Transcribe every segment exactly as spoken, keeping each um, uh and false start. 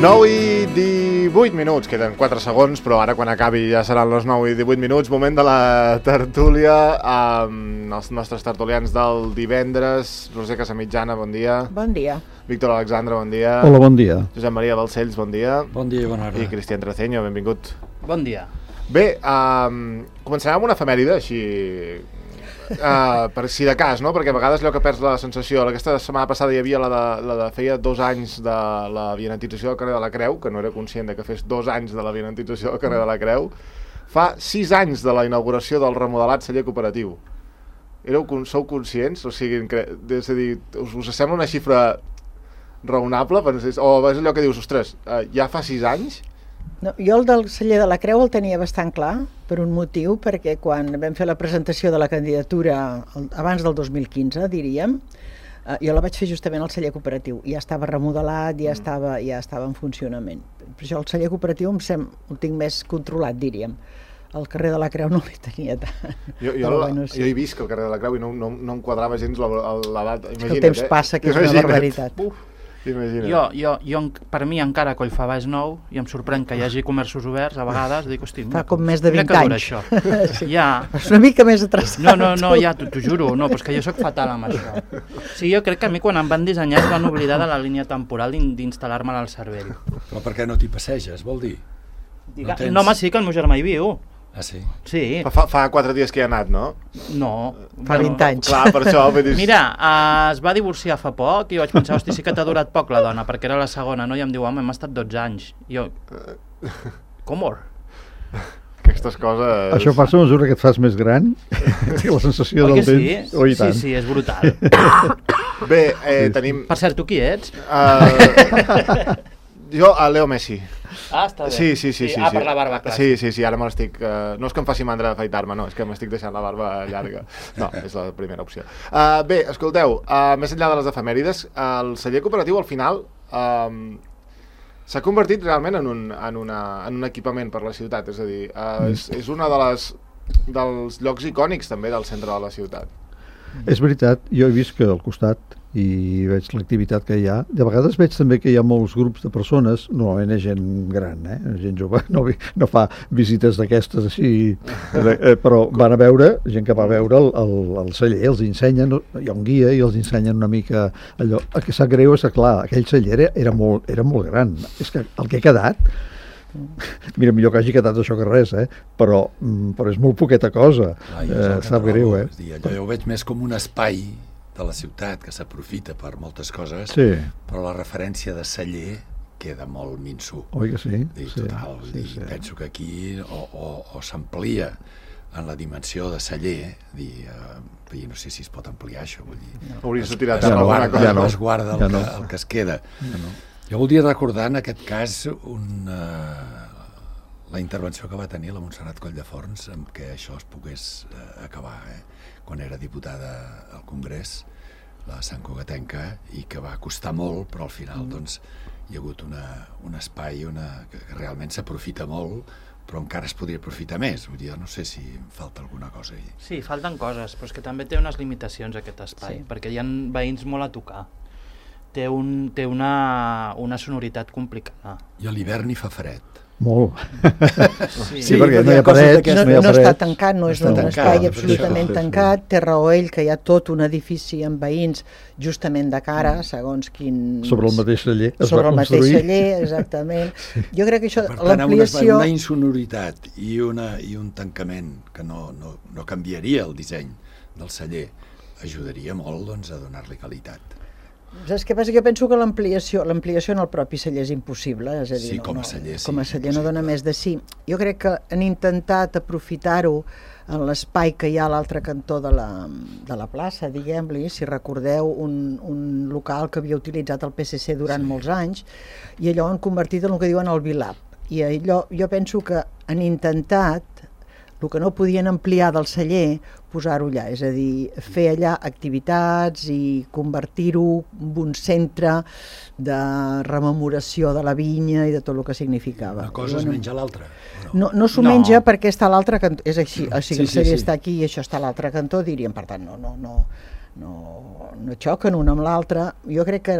nou i divuit minuts, queden quatre segons, però ara quan acabi ja seran les nou i divuit minuts, moment de la tertúlia amb els nostres tertulians del divendres. Roser Casamitjana, bon dia. Bon dia. Víctor Alexandre, bon dia. Hola, bon dia. Josep Maria Balcells, bon dia. Bon dia i bona hora. I Cristian Traceño, benvingut. Bon dia. Bé, um, començarem amb una efemèride, així... Uh, per si de cas, no? Perquè a vegades allò que perds la sensació. Aquesta setmana passada hi havia la de, la de feia dos anys de la vianantització del carrer de la Creu, que no era conscient de que fes dos anys de la vianantització del carrer de la Creu. Fa sis anys de la inauguració del remodelat celler cooperatiu. Éreu, sou conscients? O sigui, és a dir, us, us sembla una xifra raonable? O és allò que dius, ostres, uh, ja fa sis anys? No, jo el del celler de la Creu el tenia bastant clar, per un motiu, perquè quan vam fer la presentació de la candidatura abans del dos mil quinze, diríem, eh, jo la vaig fer justament al celler cooperatiu. Ja estava remodelat, ja, mm. estava, ja estava en funcionament. Per això el celler cooperatiu em sem, el tinc més controlat, diríem. Al carrer de la Creu no li tenia tant. Jo, jo, la, bueno, sí. jo he vist que al carrer de la Creu i no, no, no em quadrava gens l'edat. El temps eh? passa, que és Imagina't. Una barbaritat. Uf. Jo, jo, jo, per mi encara Collfabà és nou i em sorprèn que hi hagi comerços oberts a vegades, dic, hosti, fa com més de vint anys això. Sí. Ja. És una mica més atrasat. No, no, no, ja, t'ho juro, no, però és que jo sóc fatal amb això. Sí, jo crec que a mi quan em van dissenyar es van oblidar de la línia temporal d'instal·lar-me al cervell. Però per què no t'hi passeges, vol dir? Diga, no, tens... no, home, sí, que el meu germà hi viu. Ah, sí? Sí. Fa, fa quatre dies que hi ha anat, no? No. Fa vint bueno, anys. Clar, per això... Dir... Mira, uh, es va divorciar fa poc i jo vaig pensar, hosti, sí que t'ha durat poc la dona, perquè era la segona, no? I em diu, home, hem estat dotze anys. I jo, com or? Aquestes coses... Això passa a mesura que et fas més gran, la sensació Oi del sí? temps... Oh, i tant. Sí, sí, és brutal. Bé, eh, tenim... Per cert, tu qui ets? Uh, jo, a Leo Messi. Ah, està bé. Sí, sí, sí. sí, ah, sí. per la barba, clar. Sí, sí, sí, ara me l'estic... Uh, no és que em faci mandra afaitar-me, no, és que m'estic deixant la barba llarga. No, és la primera opció. Uh, bé, escolteu, uh, més enllà de les efemèrides, uh, el celler cooperatiu al final uh, s'ha convertit realment en un, en, una, en un equipament per la ciutat, és a dir, uh, és, és una de les, dels llocs icònics també del centre de la ciutat. És veritat, jo he vist que al costat i veig l'activitat que hi ha. De vegades veig també que hi ha molts grups de persones, normalment és gent gran, eh? Gent jove, no, no fa visites d'aquestes així, eh, però van a veure, gent que va a veure el, el, el celler, els ensenyen, hi ha un guia i els ensenyen una mica allò. El que sap greu és que, clar, aquell celler era, era, molt, era molt gran. És que el que ha quedat, mira, millor que hagi quedat això que res, eh? però, però és molt poqueta cosa. Clar, eh, sap greu, eh? Dir, allò jo ho veig més com un espai de la ciutat que s'aprofita per moltes coses, sí. però la referència de celler queda molt minso. Oi que sí? Dir, sí, total, sí, dir, sí. Penso que aquí o, o, o s'amplia en la dimensió de celler, dir, eh, no sé si es pot ampliar això, vull dir... No. Hauries de tirar es, no, guarda, ja no. es guarda el, ja no. que, el que es queda. Ja no. Jo voldria recordar en aquest cas un, uh, la intervenció que va tenir la Montserrat Colldeforns amb què això es pogués uh, acabar, eh? Quan era diputada al Congrés, la santcugatenca, i que va costar molt, però al final doncs, hi ha hagut una, un espai una, que, que realment s'aprofita molt, però encara es podria aprofitar més. Vull dir, no sé si em falta alguna cosa ahí. Sí, falten coses, però és que també té unes limitacions aquest espai, sí. perquè hi ha veïns molt a tocar. Té, un, té una, una sonoritat complicada. I a l'hivern hi fa fred. Molt. Sí, sí, perquè no hi ha parets, no, no hi ha no parets. està tancat, no és un tancat, espai no, absolutament sí, sí, tancat. Té raó ell que hi ha tot un edifici amb veïns justament de cara, segons quin... Sobre el mateix celler es Sobre va el mateix construir. celler, exactament. Sí. Jo crec que això, per tant, l'ampliació... Una, una insonoritat i, una, i un tancament que no, no, no canviaria el disseny del celler ajudaria molt doncs, a donar-li qualitat. Saps què passa? Jo penso que l'ampliació l'ampliació en el propi celler és impossible, és a dir, sí, no, com a no, celler, sí, com a celler no impossible. dona més de sí. Jo crec que han intentat aprofitar-ho en l'espai que hi ha a l'altre cantó de la, de la plaça, diguem-li, si recordeu, un, un local que havia utilitzat el P S C durant sí. molts anys, i allò han convertit en el que diuen el Vilab. I allò, jo penso que han intentat el que no podien ampliar del celler, posar-ho allà, és a dir, fer allà activitats i convertir-ho en un centre de rememoració de la vinya i de tot el que significava. Una cosa es menja l'altra? No, no s'ho No. menja perquè està a l'altre cantó, és així, o sigui, Sí, el sí, celler sí. està aquí i això està a l'altre cantó, diríem, per tant, no, no, no, no, no xoquen un amb l'altre. Jo crec que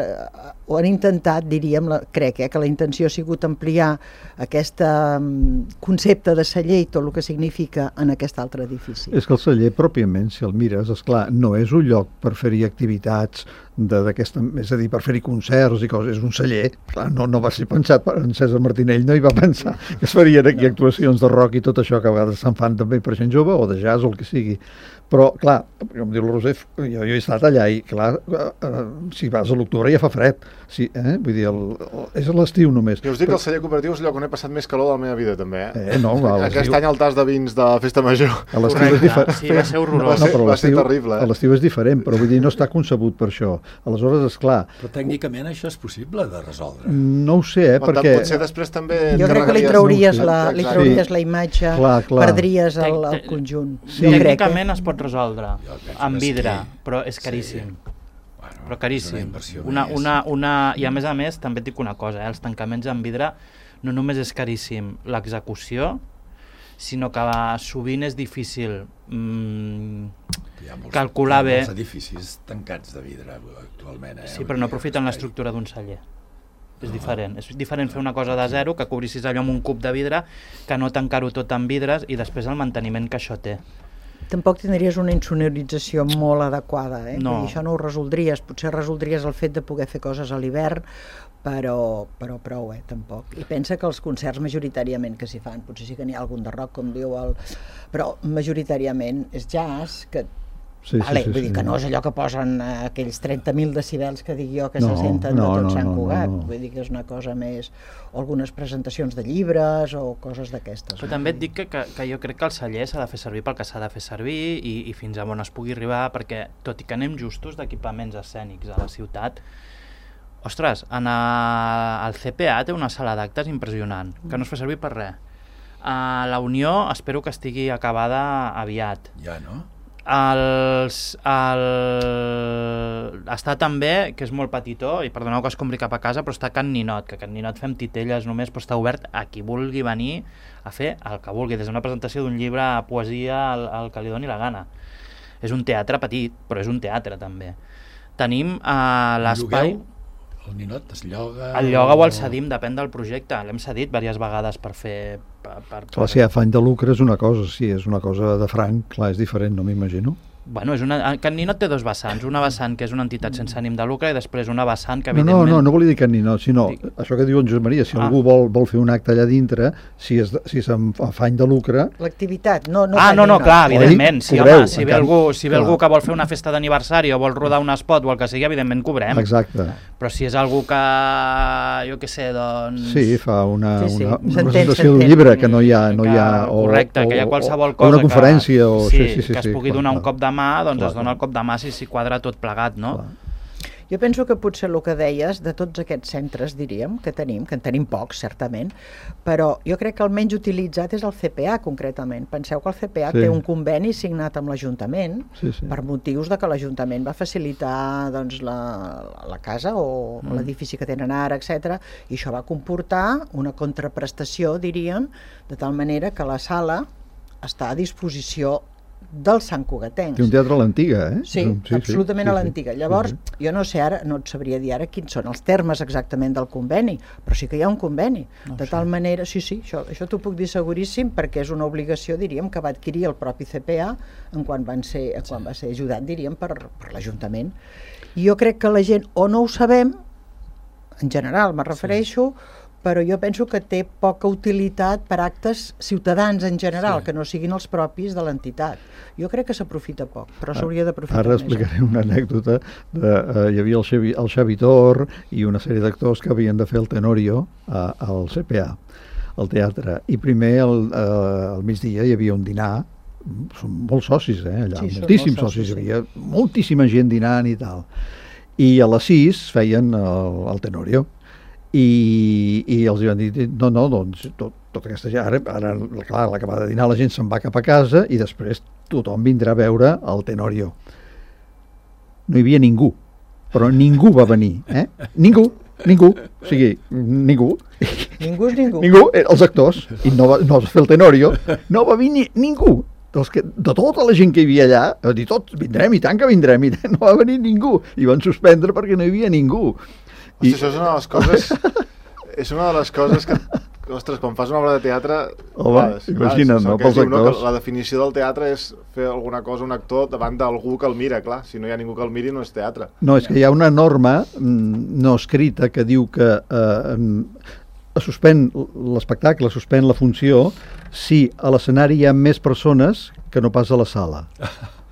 ho han intentat, diríem, la, crec eh, que la intenció ha sigut ampliar aquest um, concepte de celler i tot el que significa en aquest altre edifici. És que el celler, pròpiament, si el mires, esclar, no és un lloc per fer-hi activitats d'aquesta, és a dir, per fer-hi concerts i coses, és un celler. Clar, no, no va ser pensat per en César Martinell, no hi va pensar que es farien aquí actuacions de rock i tot això que a vegades se'n fan també per gent jove o de jazz o el que sigui. Però, clar, com diu la Roser, jo, jo he estat allà i, clar, eh, eh, si vas a l'octubre ja fa fred. Sí, eh? Vull dir, el, el, és a l'estiu només. Jo us dic que el celler cooperatiu és el lloc on he passat més calor de la meva vida, també. Eh? Eh, no, clar, Aquest any el tas de vins de Festa Major. A l'estiu és diferent. Sí, va ser horrorós. Va ser, no, però va ser l'estiu- terrible. A Eh? l'estiu és diferent, però vull dir, no està concebut per això. Aleshores, esclar, Però tècnicament això és possible de resoldre. no ho sé, eh, Però perquè... potser després també... Jo crec que li encarregaries- trauries, no, la, li Exacte. trauries la imatge, Clar, clar. perdries el, el Tec- conjunt. Sí. Jo crec, eh? Tècnicament es pot resoldre Jo penso amb que sí. vidre, però és caríssim. Sí. Bueno, Però és una caríssim. inversió Una, més. una, una, I a més a més, també et dic una cosa, eh? Els tancaments en vidre no només és caríssim l'execució, sinó que sovint és difícil mm, Hi ha molts, calcular hi ha bé. molts edificis tancats de vidre actualment. Eh? Sí, però no aprofiten l'estructura d'un celler. És diferent. És diferent fer una cosa de zero, que cobrissis allò amb un cub de vidre, que no tancar-ho tot amb vidres i després el manteniment que això té. Tampoc tindries una insonorització molt adequada, eh? No. Vull dir, això no ho resoldries, potser resoldries el fet de poder fer coses a l'hivern, però, però prou, eh, tampoc. I pensa que els concerts majoritàriament que s'hi fan, potser sí que n'hi ha algun de rock, com diu el... però majoritàriament és jazz, que Sí, vale, sí, sí, vull dir sí. que no és allò que posen eh, aquells trenta mil decibels que dic jo que No, se senten no, de tot no, Sant no, Cugat, no, no. vull dir que és una cosa més, o algunes presentacions de llibres o coses d'aquestes. Però també et dic que, que, que jo crec que el celler s'ha de fer servir pel que s'ha de fer servir i, i fins a on es pugui arribar, perquè tot i que anem justos d'equipaments escènics a la ciutat, ostres, en a, el C P A té una sala d'actes impressionant, que no es fa servir per res. A la Unió espero que estigui acabada aviat. Ja, no? Els, el, està també, que és molt petitó, i perdoneu que es compri cap a casa, però està Can Ninot, que Can Ninot fem titelles només, però està obert a qui vulgui venir a fer el que vulgui, des d'una presentació d'un llibre a poesia al, al que li doni la gana. És un teatre petit, però és un teatre també. Tenim uh, l'espai... Llogueu? El ninot es lloga... El lloga o el cedim, depèn del projecte. L'hem cedit diverses vegades per fer... Per, per, Clar, si hi ha afany de lucre és una cosa, si és una cosa de franc, clar, és diferent, no m'imagino. Bueno, és una, Can Ninot té dos vessants, una vessant que és una entitat sense ànim de lucre i després una vessant que No, no, evidentment... no, no volia dir que ni no, sinó Dic- això que diu en Josep Maria, si Ah. algú vol, vol fer un acte allà dintre, si és, de- si és amb afany de lucre, L'activitat, no... no Ah, Can no, no, Ninot. clar, Oi? evidentment. Si, Cobreu, home, si en ve, canvi, algú, si ve clar. algú que vol fer una festa d'aniversari o vol rodar un spot o el que sigui, evidentment cobrem. exacte. Però si és algú que, jo què sé, doncs... Sí, fa una, Sí, sí, una, una s'entén, presentació d'un s'entén. llibre que no hi ha... No hi ha Que- correcte, que hi ha qualsevol o, cosa... O una conferència, que, o... sí, sí, sí, que es sí, pugui clar, donar un clar. cop de mà, doncs Clar, es dona clar. el cop de mà si s'hi quadra tot plegat, no? Clar. Jo penso que potser el que deies, de tots aquests centres, diríem, que tenim, que en tenim pocs, certament, però jo crec que el menys utilitzat és el C P A, concretament. Penseu que el C P A Sí. té un conveni signat amb l'Ajuntament, Sí, sí. per motius de que l'Ajuntament va facilitar doncs, la, la casa o mm. l'edifici que tenen ara, etcètera, i això va comportar una contraprestació, diríem, de tal manera que la sala està a disposició dels santcugatencs. Té un teatre a l'antiga, eh? Sí, Un- sí, absolutament sí, a sí. l'antiga. Llavors, Sí, sí. jo no sé ara, no et sabria dir ara quins són els termes exactament del conveni, però sí que hi ha un conveni. No de sé. tal manera, sí, sí, això, això t'ho puc dir seguríssim, perquè és una obligació, diríem, que va adquirir el propi C P A en quan, van ser, quan va ser ajudat, diríem, per, per l'Ajuntament. I jo crec que la gent o no ho sabem, en general me refereixo, però jo penso que té poca utilitat per actes ciutadans en general, Sí. que no siguin els propis de l'entitat. Jo crec que s'aprofita poc, però s'hauria Ara d'aprofitar més. explicaré una anècdota. De, uh, hi havia el Xavi, el Xavi Tor i una sèrie d'actors que havien de fer el Tenorio a, al C P A, al teatre. I primer, al, uh, al migdia, hi havia un dinar. Són molts socis, eh, allà. Sí, són moltíssims molts socis. socis, Hi havia moltíssima gent dinant i tal. I a les sis feien el, el Tenorio. I, i els van dir, no, no, doncs tot, tota aquesta gent, ara, ara clar, a l'acabar de dinar la gent se'n va cap a casa i després tothom vindrà a veure el Tenorio. No hi havia ningú, però ningú va venir, eh? Ningú, ningú, o sigui, ningú. Ningú és ningú. Ningú, eh, els actors, i no va, no va fer el Tenorio, no va venir ningú. dels que, de tota la gent que hi havia allà, va dir, tots vindrem, i tant que vindrem, i no va venir ningú, i van suspendre perquè no hi havia ningú. Hosti, I... això és una de les coses... és una de les coses que... Ostres, quan fas una obra de teatre... Home, imagina't, no, pels actors. No, la definició del teatre és fer alguna cosa, un actor, davant d'algú que el mira, clar. Si no hi ha ningú que el miri, no és teatre. No, és que hi ha una norma no escrita que diu que eh, es suspèn l'espectacle, es suspèn la funció, si a l'escenari hi ha més persones que no pas a la sala.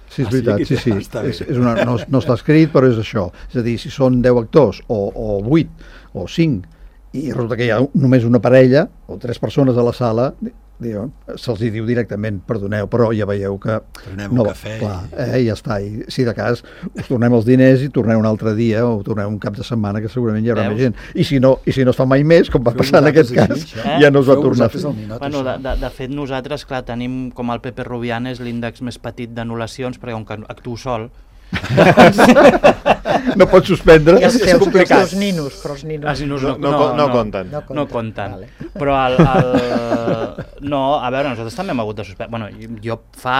Sí, és ah, veritat, sí, sí. sí. És, és una, no, no està escrit, però és això. És a dir, si són deu actors, o, o vuit, o cinc, i resulta que hi ha només una parella o tres persones a la sala, se'ls diu directament, perdoneu, però ja veieu que... Tornem no, un cafè. Clar, eh, ja està, i si de cas us tornem els diners i torneu un altre dia o torneu un cap de setmana que segurament hi haurà Veus? més gent. I si, no, I si no es fa mai més, com va Feu passar en aquest cas, així, eh? ja no es va Feu tornar a fer. Minut, bueno, de, de, de fet, nosaltres, clar, tenim com el Pepe Rubianes l'índex més petit d'anul·lacions, perquè com que actuo sol, no pots suspendre. I els teus, els teus ninos, però els ninos, els ninos no, no, no, no, no compten. No, no compten. Vale. Però el, el... No, a veure, nosaltres també hem hagut de suspendre. Bueno, jo fa...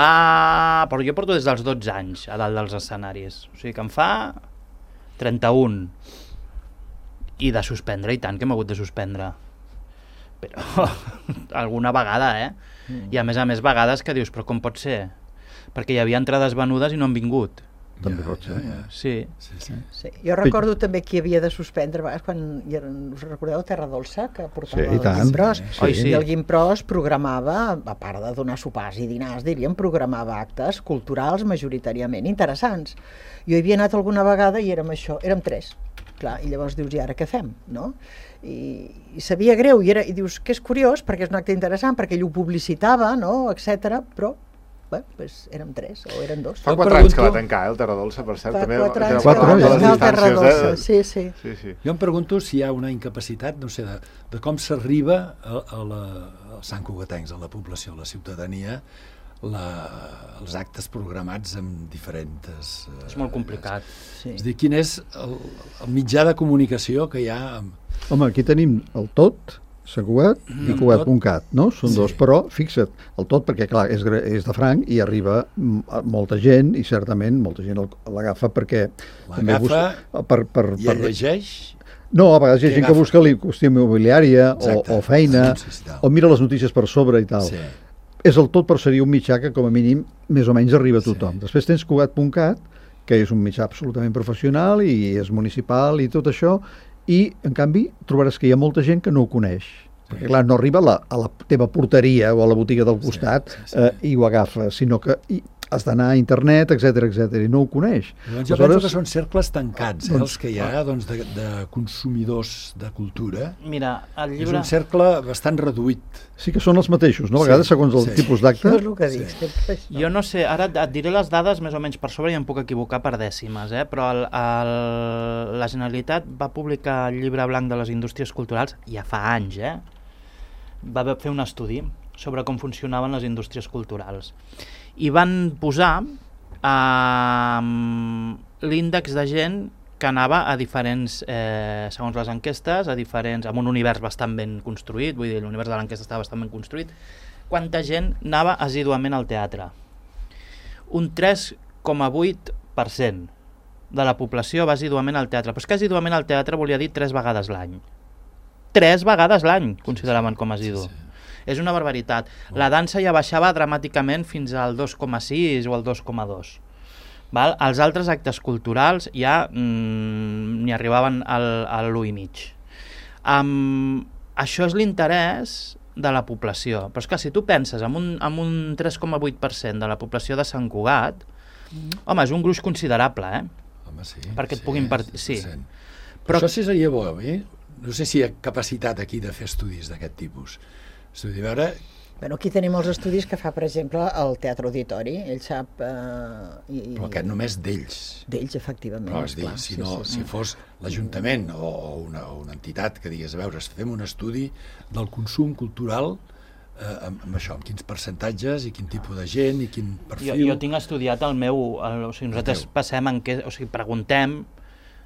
Però jo porto des dels dotze anys a dalt dels escenaris. O sigui que em fa trenta-un. I de suspendre, i tant que hem hagut de suspendre. Però alguna vegada, eh? Mm. I a més a més vegades que dius, però com pot ser? Perquè hi havia entrades venudes i no han vingut. També pot ser. Ja, ja. Sí. Sí, sí. Sí. Jo recordo també qui havia de suspendre, a vegades quan us recordeu Terra Dolça, que portava sí, el Guimpros, sí, sí. i el Guimpros programava, a part de donar sopars i dinars, diríem, programava actes culturals majoritàriament interessants. Jo hi havia anat alguna vegada i érem això, érem tres. Clar, i llavors dius, i ara què fem? No? I, i sabia greu, i, era, i dius que és curiós, perquè és un acte interessant, perquè ell ho publicitava, no? etcètera, però bé, pues érem tres o eren dos. Fa quatre anys que va tancar, eh, el Terra Dolça, per cert. Fa també quatre anys que va tancar el Terra Dolça, sí, sí. sí, sí. Jo em pregunto si hi ha una incapacitat, no sé, de, de com s'arriba a, a la, als Sant Cugatencs, a la població, a la ciutadania, la, els actes programats amb diferents... Eh, és molt complicat. Sí. És a dir, quin és el, el mitjà de comunicació que hi ha... Amb... Home, aquí tenim el Tot, Sant Cugat mm, i Cugat punt cat, no? Són sí. dos, però fixa't, el Tot, perquè clar, és, és de franc i arriba molta gent i certament molta gent l'agafa perquè... L'agafa busca, per, per, i el llegeix... No, a vegades hi ha gent agafa? que busca la qüestió immobiliària o, o feina, o mira les notícies per sobre i tal. Sí. És el Tot, però seria un mitjà que com a mínim més o menys arriba a tothom. Sí. Després tens Cugat punt cat, que és un mitjà absolutament professional i és municipal i tot això, i, en canvi, trobaràs que hi ha molta gent que no ho coneix. Sí. Perquè, clar, no arriba a la, a la teva porteria o a la botiga del costat sí, sí, sí. Eh, i ho agafa, sinó que i, has d'anar a internet, etcètera, etcètera, i no ho coneix. Doncs jo Aleshores, penso que són cercles tancats, eh, doncs, els que hi ha doncs, de, de consumidors de cultura. Mira, el llibre... És un cercle bastant reduït. Sí que són els mateixos, no? A vegades, sí, segons el sí. tipus d'acte. Això és el que dic. Sí. Jo no sé, ara et diré les dades més o menys per sobre i em puc equivocar per dècimes, eh? Però el, el, la Generalitat va publicar el llibre blanc de les indústries culturals ja fa anys, eh? Va fer un estudi sobre com funcionaven les indústries culturals. I van posar eh, l'índex de gent que anava a diferents, eh, segons les enquestes, a diferents, amb un univers bastant ben construït, vull dir, l'univers de l'enquesta estava bastant ben construït, quanta gent anava assíduament al teatre. Un tres coma vuit per cent de la població va assíduament al teatre, però és que assíduament al teatre volia dir tres vegades l'any. Tres vegades l'any consideraven com a assidu. Sí, sí. És una barbaritat. La dansa ja baixava dramàticament fins al dos coma sis o al dos coma dos. Val? Els altres actes culturals ja mm, n'hi arribaven al, al l'u i mig. Um, això és l'interès de la població. Però és que si tu penses en un, en un tres coma vuit per cent de la població de Sant Cugat, mm. home, és un gruix considerable, eh? Home, sí. Perquè et sí, puguin partir... Sí. Però això sí seria bo, eh? No sé si hi ha capacitat aquí de fer estudis d'aquest tipus. Estudi, a veure... Bueno, aquí tenim els estudis que fa, per exemple, el Teatre Auditori. Ell sap... Eh, i, Però aquest només d'ells. D'ells, efectivament. Però és dir, si, no, sí, sí, si fos l'Ajuntament o una, una entitat que digués, a veure, fem un estudi del consum cultural eh, amb, amb això, amb quins percentatges i quin tipus de gent i quin perfil... Jo, jo tinc estudiat el meu... El, o sigui, nosaltres passem en què... O sigui, preguntem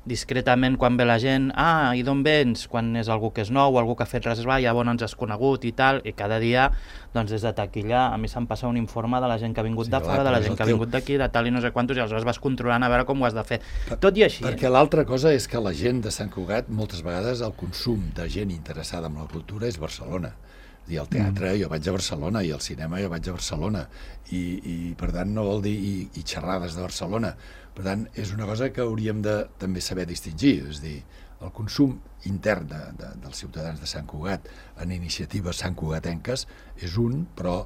discretament quan ve la gent, ah, i d'on vens? Quan és algú que és nou, algú que ha fet reservar, ja on ens has conegut i tal, i cada dia, doncs des de taquilla, a mi se'm passa un informe de la gent que ha vingut Sí, de clar, fora, de la però és gent el que ha teu- vingut d'aquí, de tal i no sé quantos, i aleshores vas controlant a veure com ho has de fer. Tot i així, Perquè l'altra cosa és que la gent de Sant Cugat, moltes vegades el consum de gent interessada en la cultura és Barcelona. És a dir, al teatre jo vaig a Barcelona i al cinema jo vaig a Barcelona i, i per tant no vol dir i, i xerrades de Barcelona. Per tant, és una cosa que hauríem de també saber distingir, és a dir, el consum intern de, de, dels ciutadans de Sant Cugat en iniciatives santcugatenques és un, però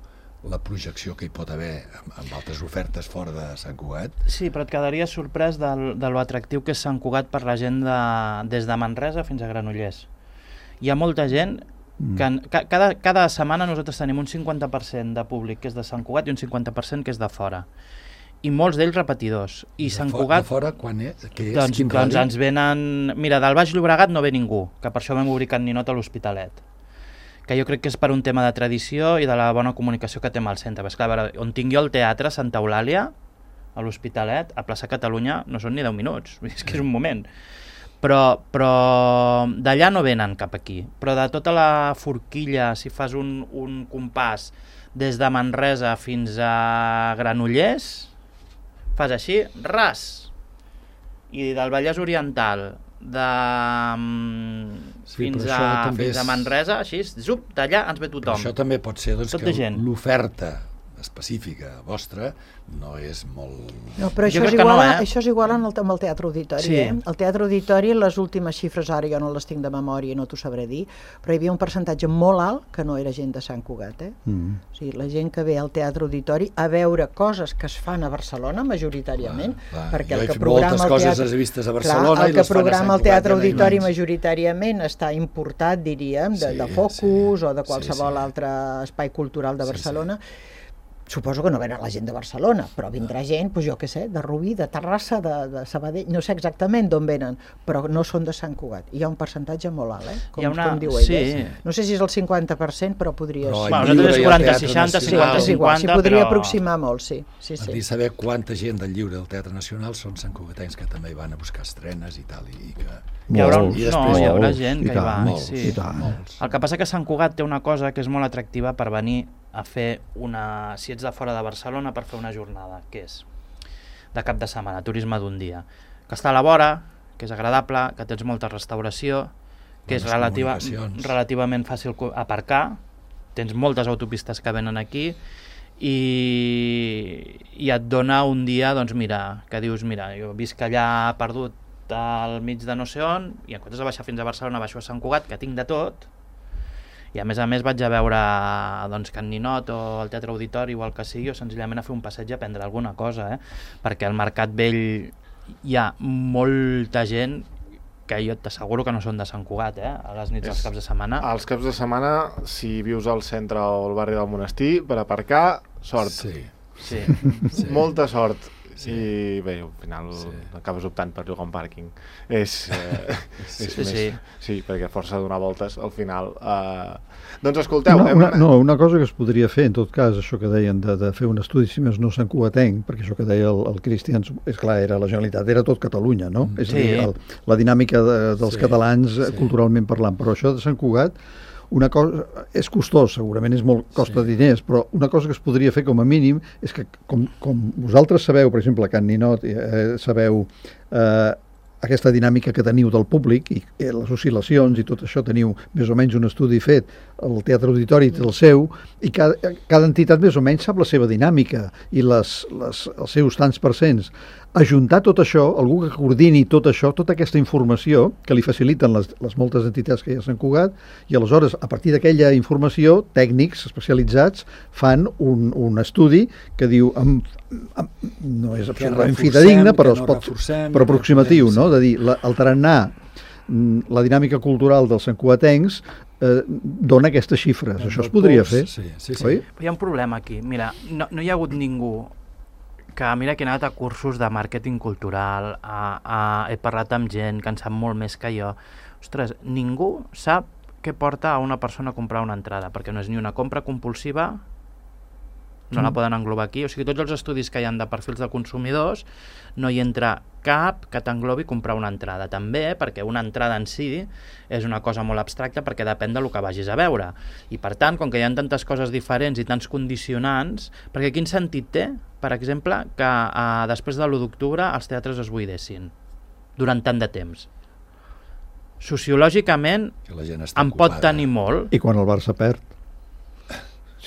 la projecció que hi pot haver amb, amb altres ofertes fora de Sant Cugat. sí, però et quedaries sorprès del, de lo atractiu que és Sant Cugat per la gent de, des de Manresa fins a Granollers. Hi ha molta gent que ca, cada, cada setmana nosaltres tenim un cinquanta per cent de públic que és de Sant Cugat i un cinquanta per cent que és de fora. I molts d'ells repetidors. I De Sant fo- Cugat... De fora, quan és? Què és? Doncs, Quin doncs radi? ens venen... Mira, del Baix Llobregat no ve ningú, que per això vam obrir Can Ninot a l'Hospitalet. Que jo crec que és per un tema de tradició i de la bona comunicació que té amb el centre. Perquè, clar, a veure, on tinc jo el teatre, Santa Eulàlia, a l'Hospitalet, a plaça Catalunya, no són ni deu minuts. És que és un moment. Però, però d'allà no venen cap aquí. Però de tota la forquilla, si fas un, un compàs des de Manresa fins a Granollers, fas així, ras. I del Vallès Oriental, de, mm, Sí, fins, però això a, també fins a és- Manresa, així, zup, d'allà ens ve Però tothom. això també pot ser doncs, Tot que de gent. l'oferta específica vostra no és molt... No, però Jo això és, crec que no, igual, eh? això és igual en el, amb el Teatre Auditori. Sí. Eh? El Teatre Auditori, les últimes xifres, ara jo no les tinc de memòria, no t'ho sabré dir, però hi havia un percentatge molt alt que no era gent de Sant Cugat. Eh? Mm. O sigui, la gent que ve al Teatre Auditori a veure coses que es fan a Barcelona, majoritàriament, Clar, clar. perquè Jo el he que fet programa moltes el coses teatre... les he vistes a Clar, Barcelona el i que les fan a programa Sant el Teatre Cugat i Auditori menys. majoritàriament està importat, diríem, de, Sí, de Focus sí. o de Sí, qualsevol sí. altre espai cultural de Sí, Barcelona. Suposo que no venen la gent de Barcelona, però vindrà gent, doncs jo què sé, de Rubí, de Terrassa, de, de Sabadell, no sé exactament d'on venen, però no són de Sant Cugat. Hi ha un percentatge molt alt, eh? Com, Hi ha una- com diu ell. sí. eh? No sé si és el cinquanta per cent, però podria Però ser. Bueno, Lliure nosaltres i és al quaranta, Teatre seixanta, Nacional. Sí, cinquanta, és igual, s'hi cinquanta, podria però... aproximar molt, sí. sí, Has sí. de saber quanta gent del Lliure del Teatre Nacional són santcugatencs que també hi van a buscar estrenes i tal. I que... Hi haurà, un, Molts, I no, després hi haurà molts, gent i que hi tant, va. molts, sí. i tant. molts. El que passa que Sant Cugat té una cosa que és molt atractiva per venir a fer una... Si ets de fora de Barcelona, per fer una jornada, que és de cap de setmana, turisme d'un dia. Que està a la vora, que és agradable, que tens molta restauració, que és Bones relativa, comunicacions. relativament fàcil co- aparcar, tens moltes autopistes que venen aquí i, i et dona un dia, doncs mira, que dius, mira, jo visc allà perdut al mig de no sé on i en comptes de baixar fins a Barcelona baixo a Sant Cugat, que tinc de tot, i a més a més vaig a veure doncs, Can Ninot o el Teatre Auditori o el que sigui, o senzillament a fer un passeig a prendre alguna cosa, eh? Perquè al Mercat Vell hi ha molta gent que jo t'asseguro que no són de Sant Cugat, eh? A les nits dels És- caps de setmana. Els caps de setmana, si vius al centre o al barri del monestir, per aparcar, sort. Sí. Sí. Sí. Molta sort. Sí. I bé, al final Sí. acabes optant per llogar un pàrquing. És, eh, Sí, és sí, més, sí. sí, perquè a força de donar voltes, al final... Eh... Doncs escolteu... Una, hem- una, no, una cosa que es podria fer, en tot cas, això que deien de, de fer un estudi, si més no Sant Cugatenc, perquè això que deia el, el Cristian, és clar, era la Generalitat, era tot Catalunya, no? Mm. És a Sí. dir, el, la dinàmica de, dels Sí, catalans sí. culturalment parlant, però això de Sant Cugat, una cosa, és costós, segurament és molt, costa Sí. diners, però una cosa que es podria fer com a mínim és que, com, com vosaltres sabeu, per exemple, a Can Ninot, eh, sabeu eh, aquesta dinàmica que teniu del públic i eh, les oscil·lacions i tot això, teniu més o menys un estudi fet, el Teatre Auditori té el seu, i cada, cada entitat més o menys sap la seva dinàmica i les, les, els seus tants percents. Ajuntar tot això, algú que coordini tot això, tota aquesta informació que li faciliten les, les moltes entitats que hi ha a Sant Cugat, i aleshores, a partir d'aquella informació, tècnics especialitzats fan un, un estudi que diu, amb, amb, no és absolutament reforcem, fidedigna, però, que es no pot, reforcem, però que aproximatiu, podem, no? sí. De dir, la, el tarannà, mm, la dinàmica cultural dels santcugatencs eh, dona aquestes xifres. Això es podria fer, Sí, sí, sí. oi? Però hi ha un problema aquí. Mira, no, no hi ha hagut ningú que mira que he anat a cursos de màrqueting cultural, a, a, he parlat amb gent que en sap molt més que jo. Ostres, ningú sap què porta a una persona a comprar una entrada, perquè no és ni una compra compulsiva no la poden englobar aquí. O sigui, tots els estudis que hi ha de perfils de consumidors no hi entra cap que t'englobi comprar una entrada. També perquè una entrada en si és una cosa molt abstracta perquè depèn del que vagis a veure. I per tant, com que hi ha tantes coses diferents i tants condicionants, perquè quin sentit té, per exemple, que eh, després de l'u d'octubre els teatres es buidessin durant tant de temps? Sociològicament en pot tenir molt. I quan el Barça perd?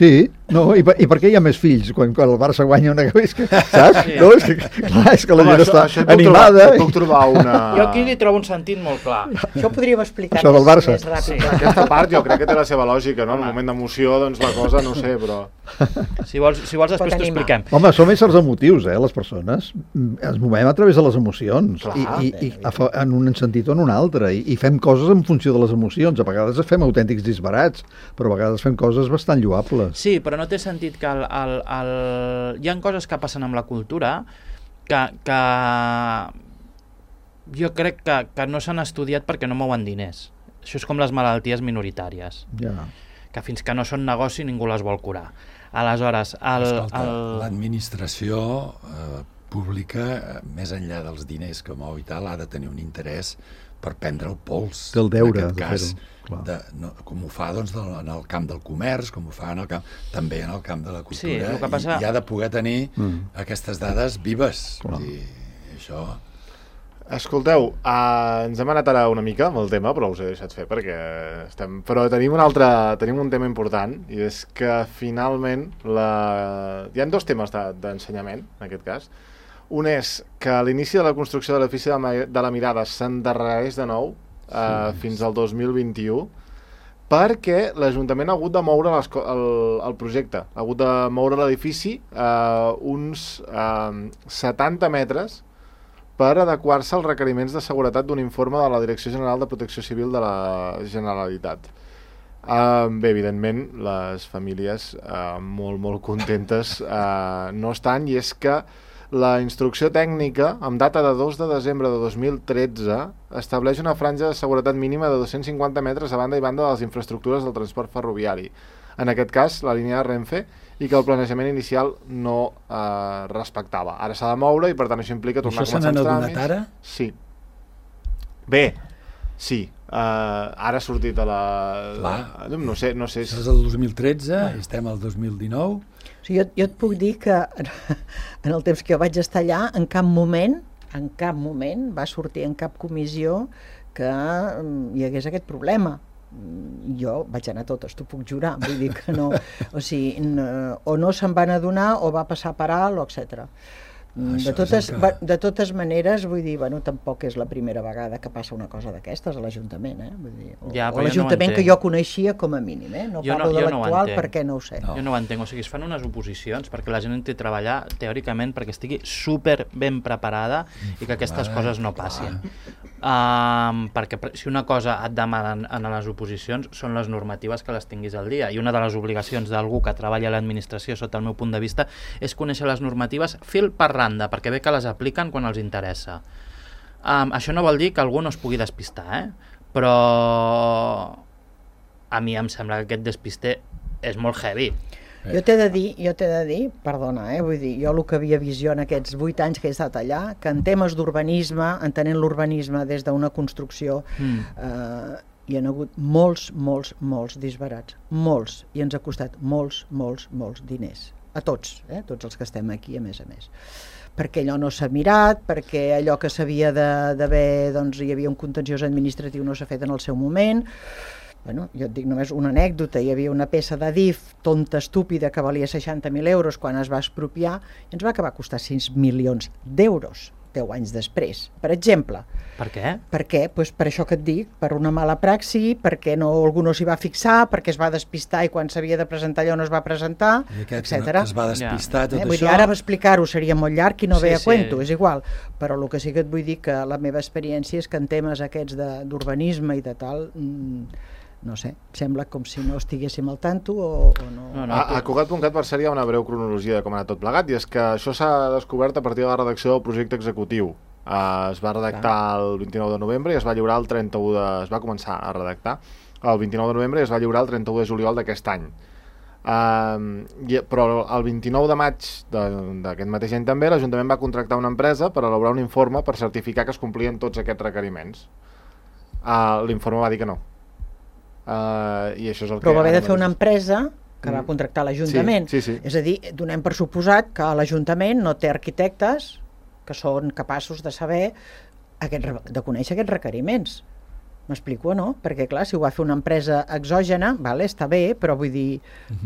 Sí, no, i per, i per què hi ha més fills quan, quan el Barça guanya una cabesca, saps? Sí. No, és que, clar, és que la Home, gent això, està això animada. Trobar, puc trobar una... Jo aquí li trobo un sentit molt clar. Això ho podríem explicar Això del més, Barça. més ràpid. Sí, aquesta part jo crec que té la seva lògica, no? En un moment d'emoció, doncs la cosa, no sé, però... Si vols, si vols després t'ho expliquem. Home, som éssers emotius, eh, les persones. Ens movem a través de les emocions. Clar, I, i, i en un sentit o en un altre. I, I fem coses en funció de les emocions. A vegades fem autèntics disbarats, però a vegades fem coses bastant lloables. Sí, però no té sentit que el, el, el... hi ha coses que passen amb la cultura que, que jo crec que, que no s'han estudiat perquè no mouen diners. Això és com les malalties minoritàries. Ja. Que fins que no són negoci ningú les vol curar. Aleshores, el, Escolta, el... l'administració eh, pública, eh, més enllà dels diners que mou i tal, ha de tenir un interès per prendre el pols. Té el deure en de cas, fer-ho. de, no, com ho fa doncs, del, en el camp del comerç, com ho fa en el camp, també en el camp de la cultura, Sí, el que passa... i, i ha de poder tenir Mm. aquestes dades vives. Clar. I això... Escolteu, uh, ens hem anat ara una mica amb el tema, però us he deixat fer perquè estem... Però tenim un altre, tenim un tema important, i és que finalment la... hi ha dos temes d'ensenyament, en aquest cas. Un és que a l'inici de la construcció de l'edifici de la Mirada s'endarrereix de nou uh, sí, fins al dos mil vint-i-u, perquè l'Ajuntament ha hagut de moure les, el, el projecte, ha hagut de moure l'edifici uh, uns uh, setanta metres per adequar-se als requeriments de seguretat d'un informe de la Direcció General de Protecció Civil de la Generalitat. Uh, bé, evidentment, les famílies uh, molt, molt contentes uh, no estan, i és que la instrucció tècnica, amb data de dos de desembre de dos mil tretze, estableix una franja de seguretat mínima de dos-cents cinquanta metres a banda i banda de les infraestructures del transport ferroviari. En aquest cas, la línia de Renfe, i que el planejament inicial no eh, respectava. Ara s'ha de moure i per tant això implica tornar això a començar els els tràmits. tràmits. Ara? Sí. Bé, sí. Uh, ara ha sortit a la... Clar. No sé, no sé. Això és el dos mil tretze, ah. estem al dos mil dinou. O sigui, jo, jo et puc dir que en el temps que jo vaig estar allà, en cap moment, en cap moment va sortir en cap comissió que hi hagués aquest problema. Jo vaig anar a totes, t'ho puc jurar, vull dir que no, o sigui, no, o no se'n van adonar o va passar per alt, o etcètera. De totes, que... de totes maneres, vull dir, bueno, tampoc és la primera vegada que passa una cosa d'aquestes a l'Ajuntament, eh? Vull dir, o, ja, o l'Ajuntament no que jo coneixia com a mínim, eh? No jo parlo no, de l'actual no perquè no ho sé. No. Jo no ho entenc, o sigui, es fan unes oposicions perquè la gent entri a treballar teòricament perquè estigui super ben preparada i que aquestes Vale, coses no passin. Um, perquè si una cosa et demanen en les oposicions són les normatives que les tinguis al dia, i una de les obligacions d'algú que treballa a l'administració, sota el meu punt de vista, és conèixer les normatives fil per randa, perquè bé que les apliquen quan els interessa. Um, això no vol dir que algú no es pugui despistar, eh? Però a mi em sembla que aquest despister és molt heavy. Eh. Jo t'he de dir, jo t'he de dir, perdona, eh, vull dir, jo el que havia visió en aquests vuit anys que he estat allà, que en temes d'urbanisme, entenent l'urbanisme des d'una construcció, mm. eh, hi ha hagut molts, molts, molts disbarats, molts, i ens ha costat molts, molts, molts diners, a tots, eh, tots els que estem aquí, a més a més. Perquè allò no s'ha mirat, perquè allò que s'havia d'haver, doncs hi havia un contenciós administratiu, no s'ha fet en el seu moment. Bueno, jo et dic només una anècdota, hi havia una peça d'Adif tonta, estúpida, que valia seixanta mil euros quan es va expropiar, i ens va acabar costar sis milions d'euros deu anys després, per exemple. Per què? Per què? Pues per això que et dic, per una mala praxi, perquè no, algú no s'hi va fixar, perquè es va despistar i quan s'havia de presentar allò no es va presentar, etcètera. Es va despistar ja. tot eh? vull això. dir, ara explicar-ho seria molt llarg i no sí, ve a sí. cuento, és igual, però el que sí que et vull dir que la meva experiència és que en temes aquests d'urbanisme i de tal... Mmm, no sé, sembla com si no estiguéssim al tanto o, o no... no, no a a Cugat punt cat per cert hi ha una breu cronologia de com ha anat tot plegat, i és que això s'ha descobert a partir de la redacció del projecte executiu. Uh, es va redactar el vint-i-nou de novembre i es va lliurar el trenta-u de... es va començar a redactar el vint-i-nou de novembre i es va lliurar el trenta-u de juliol d'aquest any. Uh, i, però el vint-i-nou de maig d'aquest mateix any també l'Ajuntament va contractar una empresa per elaborar un informe per certificar que es complien tots aquests requeriments. Uh, l'informe va dir que no. Uh, i això és el però que va haver de ara fer una mateix- empresa que Mm. va contractar l'Ajuntament. Sí, sí, sí. És a dir, donem per suposat que l'Ajuntament no té arquitectes que són capaços de saber, aquest, re- de conèixer aquests requeriments. M'explico o no? Perquè clar, si ho va fer una empresa exògena, vale, està bé, però vull dir,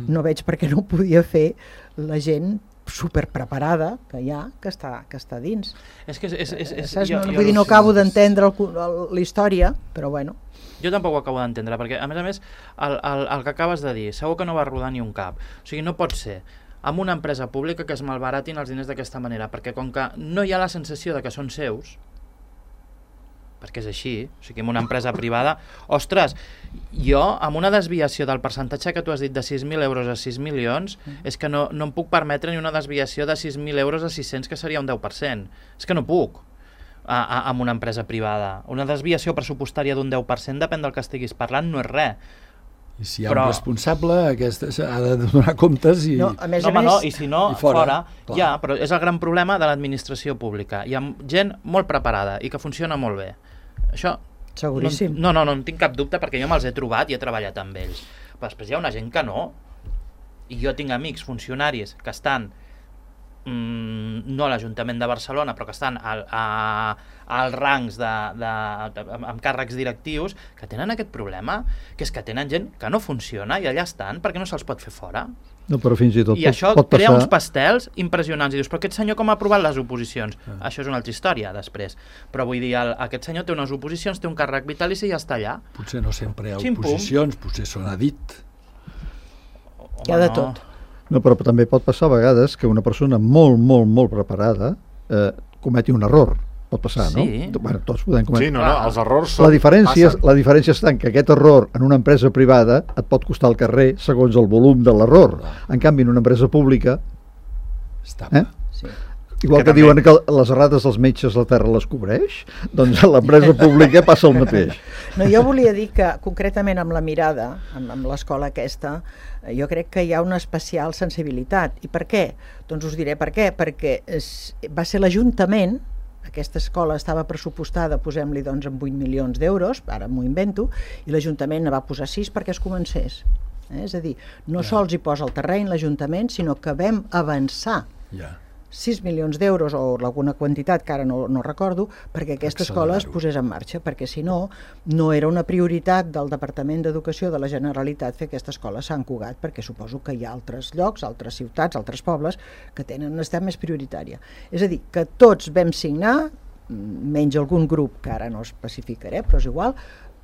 no veig per què no ho podia fer la gent superpreparada que hi ha, que està, que està dins. És que és... és, és, és Saps? jo, No, jo, vull dir, no no, acabo d'entendre el cu- el- la història, però bueno. jo tampoc ho acabo d'entendre, perquè a més a més el, el, el que acabes de dir, segur que no va rodar ni un cap. O sigui, no pot ser amb una empresa pública que es malbaratin els diners d'aquesta manera, perquè com que no hi ha la sensació de que són seus, perquè és així, o sigui, en una empresa privada, ostres, jo amb una desviació del percentatge que tu has dit de sis mil euros a sis milions, és que no, no em puc permetre ni una desviació de sis mil euros a sis-cents, que seria un deu per cent. És que no puc a, a, amb una empresa privada. Una desviació pressupostària d'un deu per cent, depèn del que estiguis parlant, no és res. I si hi ha Però- un responsable, aquesta ha de donar comptes i... No, a més no, a home, més... no, i si no, i fora, fora, clar. ja, però és el gran problema de l'administració pública. Hi ha gent molt preparada i que funciona molt bé. Això Seguríssim. No, no, no, no en tinc cap dubte perquè jo me'ls he trobat i he treballat amb ells. Però després hi ha una gent que no. I jo tinc amics funcionaris que estan mm, no a l'Ajuntament de Barcelona, però que estan al, a, als rangs de, de, de, amb, amb càrrecs directius, que tenen aquest problema, que és que tenen gent que no funciona i allà estan perquè no se'ls pot fer fora. No, però fins i tot I pot, això pot crea passar... uns pastels impressionants. I dius, però aquest senyor com ha aprovat les oposicions? Ah. Això és una altra història, després. Però vull dir, el, aquest senyor té unes oposicions, té un càrrec vitalici i ja està allà. Potser no sempre hi ha Xim-pum. oposicions, potser són a dit. Hi ha de tot. No, però també pot passar a vegades que una persona molt, molt, molt preparada eh, cometi un error. Pot passar, Sí. no? Bueno, tots podem cometre. Sí, no, no, els errors són, La diferència, passen. la diferència està en que aquest error en una empresa privada et pot costar el carrer segons el volum de l'error. En canvi, en una empresa pública, Estava. eh? Sí. igual Que que, també- diuen que les errades dels metges la terra les cobreix, doncs a l'empresa pública passa el mateix. No, jo volia dir que concretament amb la mirada, amb, amb l'escola aquesta, eh, jo crec que hi ha una especial sensibilitat. I per què? Doncs us diré per què. Perquè es, va ser l'Ajuntament, aquesta escola estava pressupostada, posem-li doncs amb vuit milions d'euros, ara m'ho invento, i l'Ajuntament ne va posar sis perquè es comencés. Eh? És a dir, no Ja. sols hi posa el terreny l'Ajuntament, sinó que vam avançar Ja. sis milions d'euros o alguna quantitat que ara no, no recordo perquè aquesta escola es Accelerar-ho. posés en marxa, perquè si no, no era una prioritat del Departament d'Educació de la Generalitat fer aquesta escola a Sant Cugat, perquè suposo que hi ha altres llocs, altres ciutats, altres pobles que tenen una necessitat més prioritària. És a dir, que tots vam signar, menys algun grup que ara no especificaré, però és igual,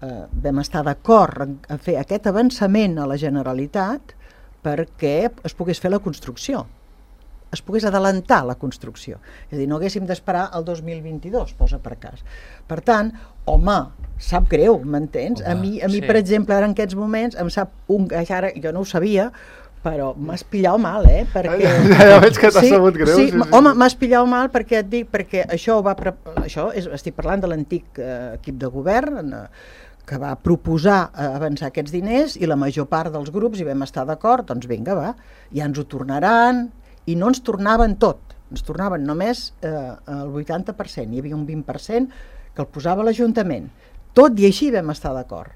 eh, vam estar d'acord en, en fer aquest avançament a la Generalitat perquè es pogués fer la construcció, es pogués adelantar la construcció. És a dir, no haguéssim d'esperar el dos mil vint-i-dos, posa per cas. Per tant, home, sap greu, m'entens? A Home, mi, a mi sí. per exemple, ara en aquests moments, em sap un... Ara, jo no ho sabia, però m'has pillat mal, eh? Perquè... Ja, ja veig que t'ha sabut greu. Sí, sí, sí, home, sí. m'has pillat mal perquè et dic, perquè això ho va... Pre... Això és, estic parlant de l'antic eh, equip de govern, eh, que va proposar eh, avançar aquests diners i la major part dels grups hi vam estar d'acord, doncs vinga, va, ja ens ho tornaran, i no ens tornaven tot, ens tornaven només eh, el vuitanta per cent, hi havia un vint per cent que el posava l'Ajuntament. Tot i així vam estar d'acord,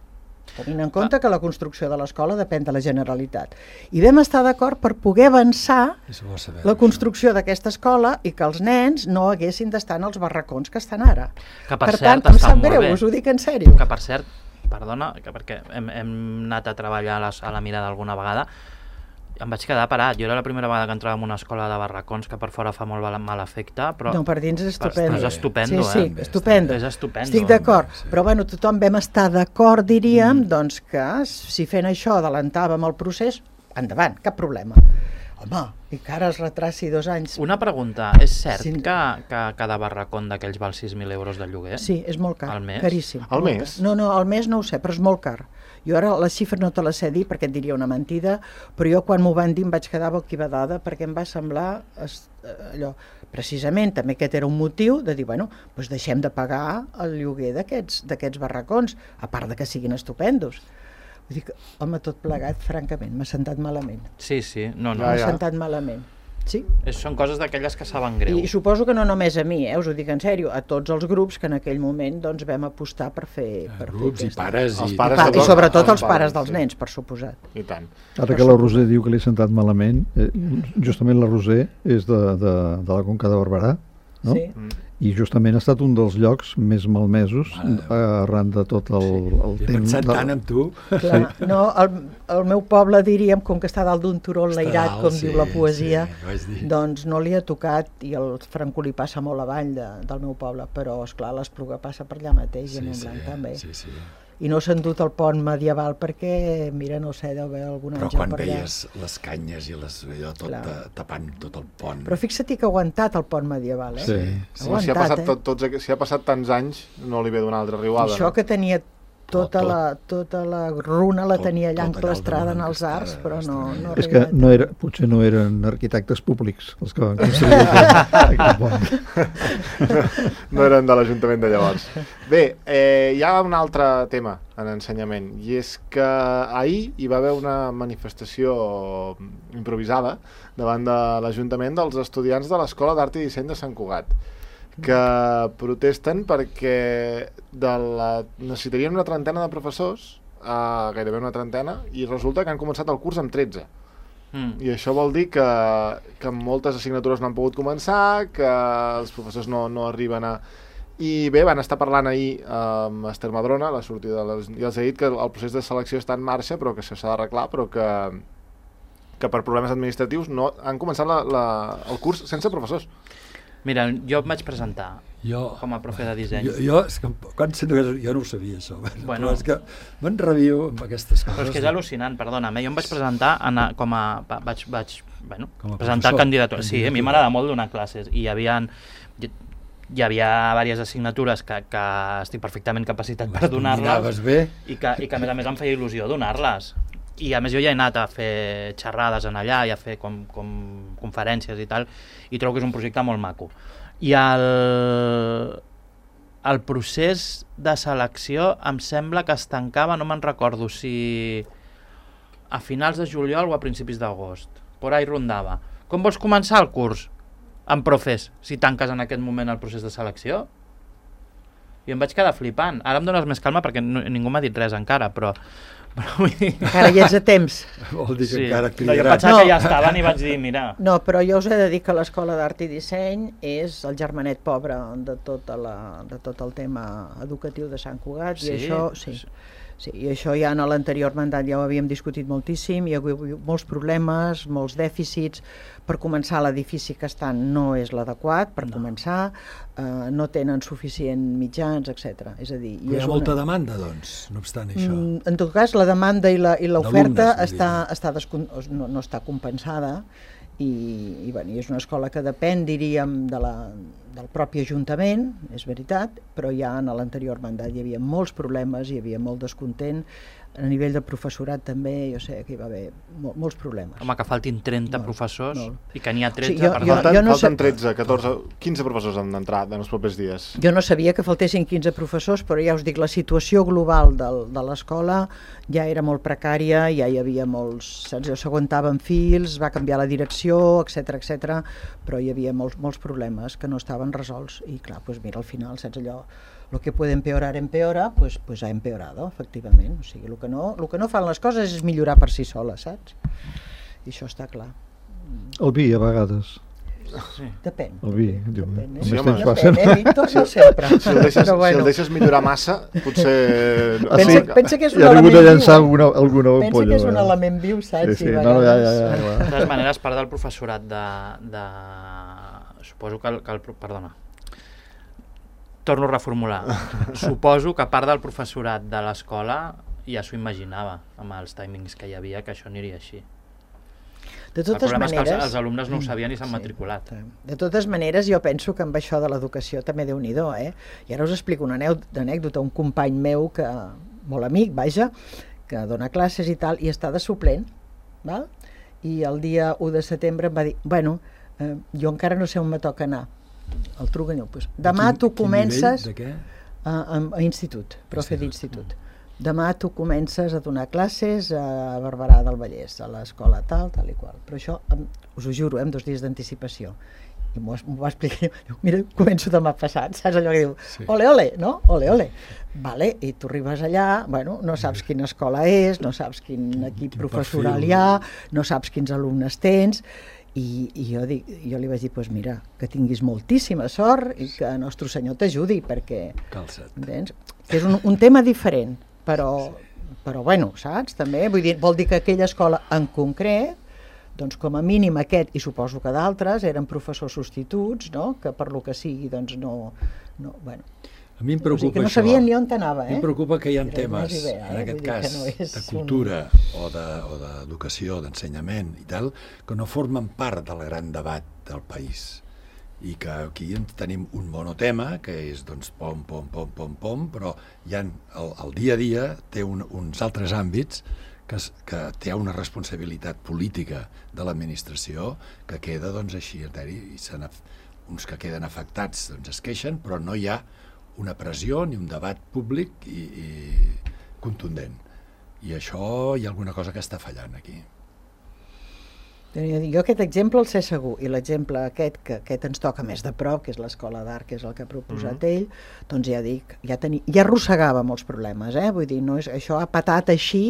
tenint en compte que la construcció de l'escola depèn de la Generalitat. I vam estar d'acord per poder avançar És bo saber la construcció d'aquesta escola i que els nens no haguessin d'estar en els barracons que estan ara. Que per, Per cert tant, em està sap molt greu, bé. us ho dic en sèrio. Que per cert, perdona, que perquè hem, hem anat a treballar a, les, a la mirada alguna vegada, em vaig quedar parat. Jo era la primera vegada que entrava en una escola de barracons que per fora fa molt mal, mal efecte, però No, per dins és però estupendo. és estupendo, sí, sí, eh? estupendo. És estupendo. Estic d'acord, Sí. però bueno, tothom vam estar d'acord, diríem, mm. doncs que si fent això adelantàvem el procés, endavant, cap problema. Home, i que ara es retraci dos anys. Una pregunta, és cert Sí. que, que cada barracón d'aquells val sis mil euros de lloguer? Sí, és molt car, Al mes? caríssim. Al molt mes? car. No, no, al mes no ho sé, però és molt car. Jo ara les xifres no te les sé dir perquè et diria una mentida, però jo quan m'ho van dir em vaig quedar boquibadada perquè em va semblar es, allò, precisament també aquest era un motiu de dir, bueno, doncs deixem de pagar el lloguer d'aquests d'aquests barracons, a part de que siguin estupendos. Vull dir que, home, tot plegat, francament, m'ha sentat malament. Sí, sí, no, no. Ja, M'ha ja. sentat malament. Sí. És, són coses d'aquelles que saben greu. I, I suposo que no només a mi, eh, us ho dic en sèrio, a tots els grups que en aquell moment doncs, vam apostar per fer... Per Grups fer i pares Els i... pares Pa, I sobretot, sobretot els els pares pares, dels sí. nens, per suposat. I tant. Ara que la Roser diu que li ha sentat malament, eh, justament la Roser és de, de, de la Conca de Barberà, no? Sí. Mm. I justament ha estat un dels llocs més malmesos Mare arran de tot el, el He temps. pensat de- tant en tu. Clar, no, el, el meu poble, diríem, com que està dalt d'un turó enlairat, Està com dalt, diu sí, la poesia, sí, vaig dir. doncs no li ha tocat, i el Franco li passa molt avall de, del meu poble, però, esclar, l'Espluga passa per allà mateix, i a Montblanc també. sí, sí. I no s'ha endut el pont medieval perquè, mira, no sé, deu haver algun Però àngel quan per allà. veies les canyes i les, allò tot Clar. ta- tapant tot el pont... Però fixa't que ha aguantat el pont medieval, eh? Sí. Ha Sí, si, ha aguantat, passat, eh? tot, tots, aqu- si ha passat tants anys, no li ve d'una altra I riuada. això no? que tenia tota, Tot, la, tota la runa la Tot- tenia allà tot allà enclastrada al en els damunt arcs, enclastrada, però no, estranyat. no ha És que arribat. no era, potser no eren arquitectes públics els que van construir aquest, aquest pont. No eren de l'Ajuntament de llavors. Bé, eh, hi ha un altre tema en ensenyament, i és que ahir hi va haver una manifestació improvisada davant de l'Ajuntament dels estudiants de l'Escola d'Art i Disseny de Sant Cugat, que protesten perquè de la... necessitarien una trentena de professors, eh, gairebé una trentena, i resulta que han començat el curs amb tretze. Mm. I això vol dir que, que moltes assignatures no han pogut començar, que els professors no, no arriben a... I bé, van estar parlant ahir amb Esther Madrona, la sortida de les... i els ha dit que el procés de selecció està en marxa, però que això s'ha d'arreglar, però que, que per problemes administratius no han començat la, la, el curs sense professors. Mira, jo em vaig presentar Jo, com a profe de disseny. jo, jo, és que, quan sento que jo no ho sabia, això. Bueno. Però és que me'n rebio amb aquestes coses. Però és que és al·lucinant, perdona'm, eh? Jo em vaig presentar en, a- com a... va- vaig, vaig bueno, Com a presentar professor. candidatura. Sí, a mi Candidatura. m'agrada molt donar classes i hi havia, hi, hi havia diverses assignatures que, que estic perfectament capacitat per donar-les Dominaves bé. i que, i que a més a més em feia il·lusió donar-les. I a més jo ja he anat a fer xerrades en allà i a fer com, com conferències i tal, i trobo que és un projecte molt maco. I el, el procés de selecció em sembla que es tancava, no me'n recordo si a finals de juliol o a principis d'agost. Por ahí rondava. Com vols començar el curs? Amb profes, si tanques en aquest moment el procés de selecció? I em vaig quedar flipant. Ara em dones més calma perquè no, ningú m'ha dit res encara, però... però vull dir... Encara hi ets a temps. Vol dir que Sí. encara No, jo cridarà. pensava No. que ja estaven i vaig dir, mira... No, però jo us he de dir que l'Escola d'Art i Disseny és el germanet pobre de, tota la, de tot el tema educatiu de Sant Cugat, Sí? i això, sí, sí, i això ja en l'anterior mandat ja ho havíem discutit moltíssim, hi ha hagut molts problemes, molts dèficits. Per començar, l'edifici que estan no és l'adequat, per No. començar, eh, no tenen suficient mitjans, etcètera. És a dir, i Hi és ha molta una... demanda, doncs, no obstant això. Mm, En tot cas, la demanda i la- i l'oferta D'alumnes, està, vull dir. està descon... no, no està compensada, i, i, bueno, i és una escola que depèn, diríem, de la, del propi Ajuntament, és veritat, però ja en l'anterior mandat hi havia molts problemes, hi havia molt descontent, a nivell de professorat també, jo sé que hi va haver mol, molts problemes. Home, que faltin trenta Molt, professors molt. i que n'hi ha tretze, Sí, jo- perdó. jo- Falten, no falten sé- tretze, catorze, quinze professors han d'entrar en els propers dies. Jo no sabia que faltessin quinze professors, però ja us dic, la situació global del, de l'escola ja era molt precària, ja hi havia molts... Saps? S'aguantaven fils, va canviar la direcció, etcètera, etcètera, però hi havia molts, molts problemes que no estaven resolts. I clar, doncs mira, al final, saps allò, lo que puede empeorar, empeora, pues, pues ha empeorado, efectivament. O sigui, el que, no, el que no fan les coses és millorar per si soles, saps? I això està clar. El vi, a vegades. Sí. Depèn. El vi, diu, Depèn, el eh? Sí, més home. temps passa. Depèn, eh, Víctor? No sempre. Si el deixes, Però si el deixes millorar massa, potser... Pensa, pensa que és un Ja ha vingut element a llançar viu. alguna, alguna Pensa ampolla. que és un vegades. element viu, saps? Sí, sí, I a no, no, ja, ja, vegades- ja, De ja. totes maneres, part del professorat de... de... Suposo que el, que el... pro- Perdona. Torno a reformular. Suposo que part del professorat de l'escola ja s'ho imaginava, amb els timings que hi havia, que això aniria així. De El totes problema és que maneres... els, els alumnes no ho sabien i s'han Sí, matriculat. De totes maneres, jo penso que amb això de l'educació també Déu-n'hi-do, eh? I ara us explico una anèu- anècdota, un company meu, que molt amic, vaja, que dona classes i tal, i està de suplent, val? I el dia u de setembre em va dir, bueno, eh, jo encara no sé on me toca anar. El truco i diu, pues, demà Quin- tu quin comences nivell, de què? a, a, a institut, profe Institut. d'institut. demà tu comences a donar classes a Barberà del Vallès, a l'escola tal, tal i qual. Però això, us ho juro, amb dos dies d'anticipació. I m'ho va explicar, diu, mira, començo demà passat, saps allò que diu, sí. ole, ole, no? Ole, ole. Vale, i tu arribes allà, bueno, no saps quina escola és, no saps quin equip quin professoral perfil. Hi ha, no saps quins alumnes tens, i, i jo, dic, jo li vaig dir, pues mira, que tinguis moltíssima sort i que Nostre Senyor t'ajudi, perquè... Calça't. Entens? Que és un, un tema diferent, però, però bueno, saps? També, vull dir, vol dir que aquella escola en concret, doncs com a mínim aquest, i suposo que d'altres, eren professors substituts, no? Que per lo que sigui, doncs no... no bueno. A mi em preocupa o sigui, que no això. Sabien ni on anava, eh? A mi em preocupa que hi ha Però temes, bé, eh? en aquest cas, no de cultura un... o d'educació, de, d'ensenyament i tal, que no formen part del gran debat del país. I que aquí tenim un monotema, que és, doncs, pom, pom, pom, pom, pom, però hi ha, el, el dia a dia té un, uns altres àmbits que, que té una responsabilitat política de l'administració que queda, doncs, així, i se uns que queden afectats doncs, es queixen, però no hi ha una pressió ni un debat públic i, i contundent. I això hi ha alguna cosa que està fallant aquí. Jo aquest exemple el sé segur, i l'exemple aquest, que aquest ens toca més de prop, que és l'escola d'art, que és el que ha proposat mm-hmm. ell, doncs ja dic, ja, teni, ja arrossegava molts problemes, eh? Vull dir, no és, això ha patat així,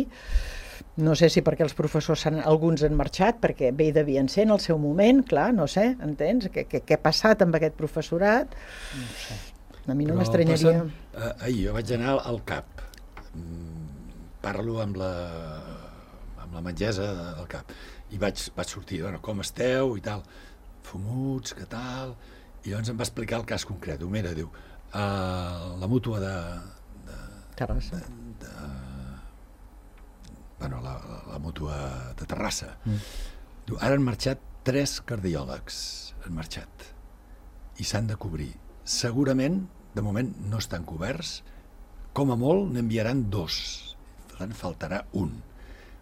no sé si perquè els professors han, alguns han marxat, perquè bé hi devien ser en el seu moment, clar, no sé, entens? Què, què, què ha passat amb aquest professorat? No sé. A mi no m'estranyaria... Eh, ahir jo vaig anar al C A P, parlo amb la, amb la metgessa del C A P, i vaig, vaig sortir, bueno, com esteu i tal, fumuts, què tal, i llavors em va explicar el cas concret. Diu, mira, diu, uh, la mútua de... de Terrassa. De, de, bueno, la, la mútua de Terrassa. Mm. Diu, ara han marxat tres cardiòlegs, han marxat, i s'han de cobrir. Segurament, de moment, no estan coberts, com a molt n'enviaran dos, per tant, faltarà un.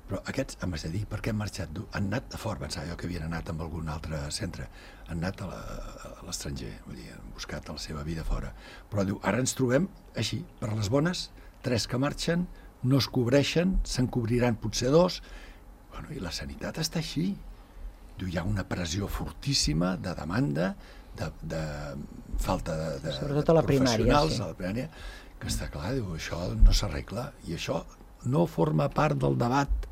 Però aquests, em vas dir, per què han marxat? Han anat a fora, pensava jo que havien anat amb algun altre centre, han anat a l'estranger, vull dir, han buscat la seva vida fora. Però diu, ara ens trobem així, per les bones, tres que marxen, no es cobreixen, se'n cobriran potser dos, bueno, i la sanitat està així. Diu, hi ha una pressió fortíssima de demanda, de, de falta de, de, sobretot a la primària, sí. A la primària, que està clar, diu, això no s'arregla, i això no forma part del debat.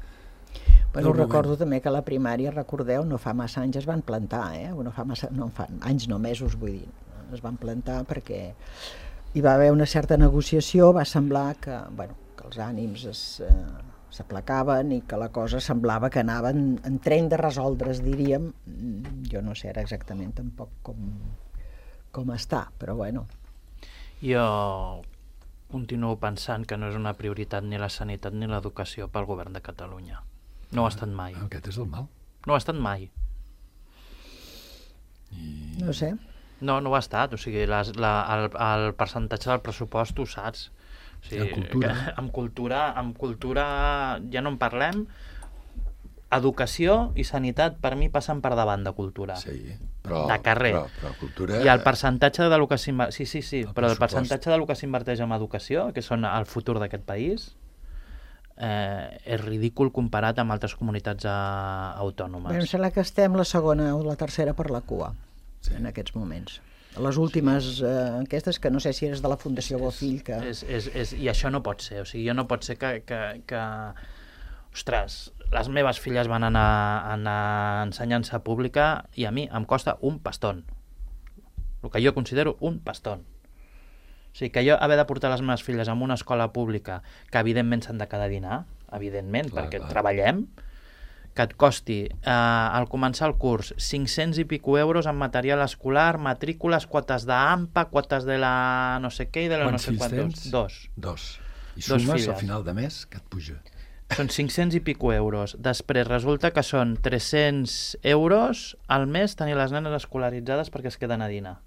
Bueno, recordo també que a la primària, recordeu, no fa massa anys es van plantar, eh? No fa massa, no fa anys, no mesos, vull dir, es van plantar perquè hi va haver una certa negociació, va semblar que, bueno, que els ànims es, eh, s'aplacaven i que la cosa semblava que anava en, en tren de resoldre's, diríem. Jo no sé ara exactament tampoc com, com està, però bueno. Jo continuo pensant que no és una prioritat ni la sanitat ni l'educació pel govern de Catalunya. No ho ha estat mai. Aquest és el mal. No ho ha estat mai. I... No sé. No, no ho ha estat. O sigui, les, la, el, el percentatge del pressupost ho saps. O sigui, amb cultura. Que, amb cultura, amb cultura ja no en parlem. Educació i sanitat per mi passen per davant de cultura. Sí, però, de carrer. Però, però cultura... I el percentatge de lo que s'inverteix... Sí, sí, sí, el però el pressupost. percentatge de lo que s'inverteix en educació, que són el futur d'aquest país, eh, és ridícul comparat amb altres comunitats eh, autònomes. Bé, em sembla que estem la segona o la tercera per la cua, sí. En aquests moments. Les últimes eh, enquestes, que no sé si és de la Fundació Bofill, que... És, és, és, I això no pot ser, o sigui, no pot ser que... que, que... Ostres, les meves filles van anar, anar a ensenyança pública i a mi em costa un pastón. El que jo considero un pastón. O sigui, que jo haver de portar les meves filles a una escola pública, que evidentment s'han de quedar a dinar, evidentment, clar, perquè clar. Treballem, que et costi, eh, al començar el curs, cinc-cents i pico euros en material escolar, matrícules, quotes d'AMPA, quotes de la no sé què i de la Quants no sé quantos. Dos. Dos. I Dos sumes filles. al final de mes, que et puja. Són cinc-cents i pico euros. Després resulta que són tres-cents euros al mes tenir les nenes escolaritzades perquè es queden a dinar.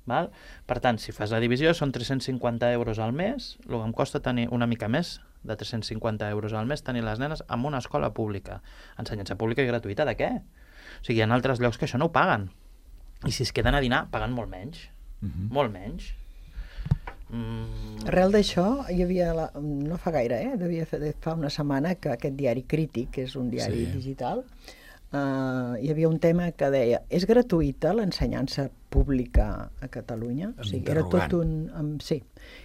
Val? Per tant, si fas la divisió, són tres-cents cinquanta euros al mes, el que em costa tenir una mica més de tres-cents cinquanta euros al mes tenir les nenes en una escola pública. Ensenyança pública i gratuïta, de què? O sigui, hi ha altres llocs que això no ho paguen. I si es queden a dinar, paguen molt menys. Uh-huh. Molt menys. Mm. Arrel d'això, hi havia, la, no fa gaire, eh? devia fer fa una setmana, que aquest diari Crític, que és un diari Sí. digital, uh, hi havia un tema que deia: és gratuïta l'ensenyança pública a Catalunya? O sigui, era tot un... Um, sí.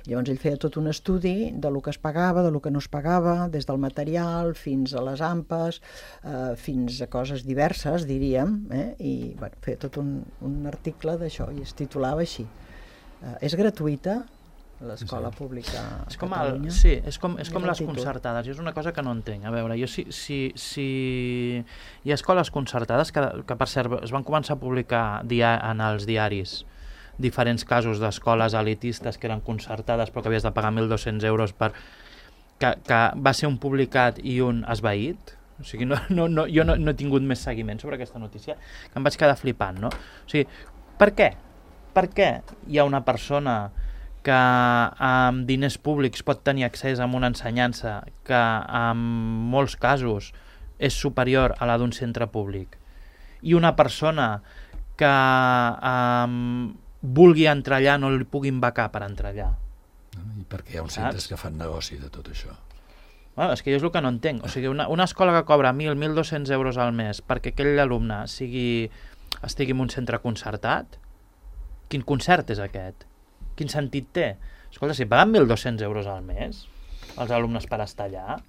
Llavors ell feia tot un estudi de lo que es pagava, de lo que no es pagava, des del material fins a les ampes, uh, fins a coses diverses, diríem, eh? I bueno, feia tot un, un article d'això i es titulava així: uh, és gratuïta l'escola Sí. pública a És com, Catalunya? el, sí, és com, és És com el les títol. concertades. Jo és una cosa que no entenc. A veure, jo si, si, si hi ha escoles concertades que, que per cert, es van començar a publicar dia, en els diaris diferents casos d'escoles elitistes que eren concertades però que havies de pagar mil dos-cents euros per... Que, que va ser un publicat i un esvaït. O sigui, no, no, no, jo no, no he tingut més seguiment sobre aquesta notícia, que em vaig quedar flipant, no? O sigui, per què? Per què hi ha una persona que amb diners públics pot tenir accés a una ensenyança que en molts casos és superior a la d'un centre públic, i una persona que um, vulgui entrar allà no li puguin becar per entrar allà? I perquè hi ha uns Saps? centres que fan negoci de tot això. Bueno, és que jo és el que no entenc. O sigui, una, una escola que cobra mil, mil dos-cents euros al mes perquè aquell alumne sigui, estigui en un centre concertat, quin concert és aquest? Quin sentit té? Escolta, si paguen mil dos-cents euros al mes els alumnes per estar allà,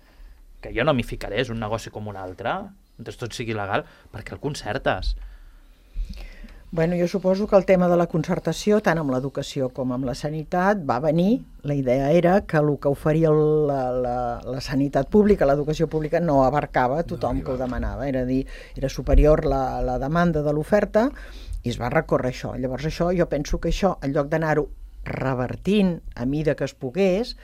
que jo no m'hi ficaré, és un negoci com un altre, mentre tot sigui legal, perquè el concertes? Bueno, jo suposo que el tema de la concertació, tant amb l'educació com amb la sanitat, va venir. La idea era que el que oferia la, la, la sanitat pública, l'educació pública, no abarcava a tothom No que ho arribava. demanava. Era a dir, era superior la, la demanda de l'oferta i es va recórrer això. Llavors això, jo penso que això, en lloc d'anar-ho revertint a mida que es pogués,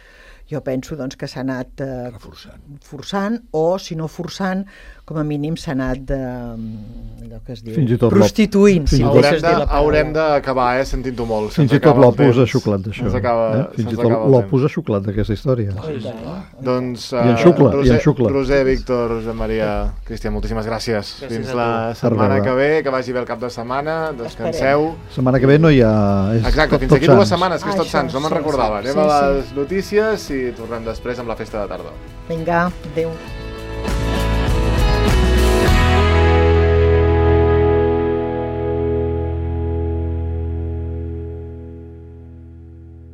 jo penso doncs, que s'ha anat eh, Reforçant. forçant, o si no forçant, com a mínim s'ha anat de, allò que es diu, Fins i tot prostituint, fins si i em tot- Haurem deixes dir la paraula. haurem d'acabar, eh, sentint-ho molt. Fins se'ns i tot acaba el l'Opus ha temps. xuclat d'això. Se'ns acaba, eh? Fins se'ns i tot acaba el l'Opus temps. ha xuclat d'aquesta història. Oh, i tant. Doncs, I en eh, xucla, i en Roser, xucla. Roser, Víctor, Josep Maria, Cristian, moltíssimes gràcies. Gràcies Fins a la tu. setmana Per que veure. ve, que vagi bé el cap de setmana, descanseu. Setmana que ve no hi ha... És Exacte, tot, fins tot aquí dues Sants. setmanes, que és Ah, tot això, Sants, no me'n sí, recordava. sí, Anem sí, a sí. les notícies i tornem després amb la festa de tardor. Vinga, adéu.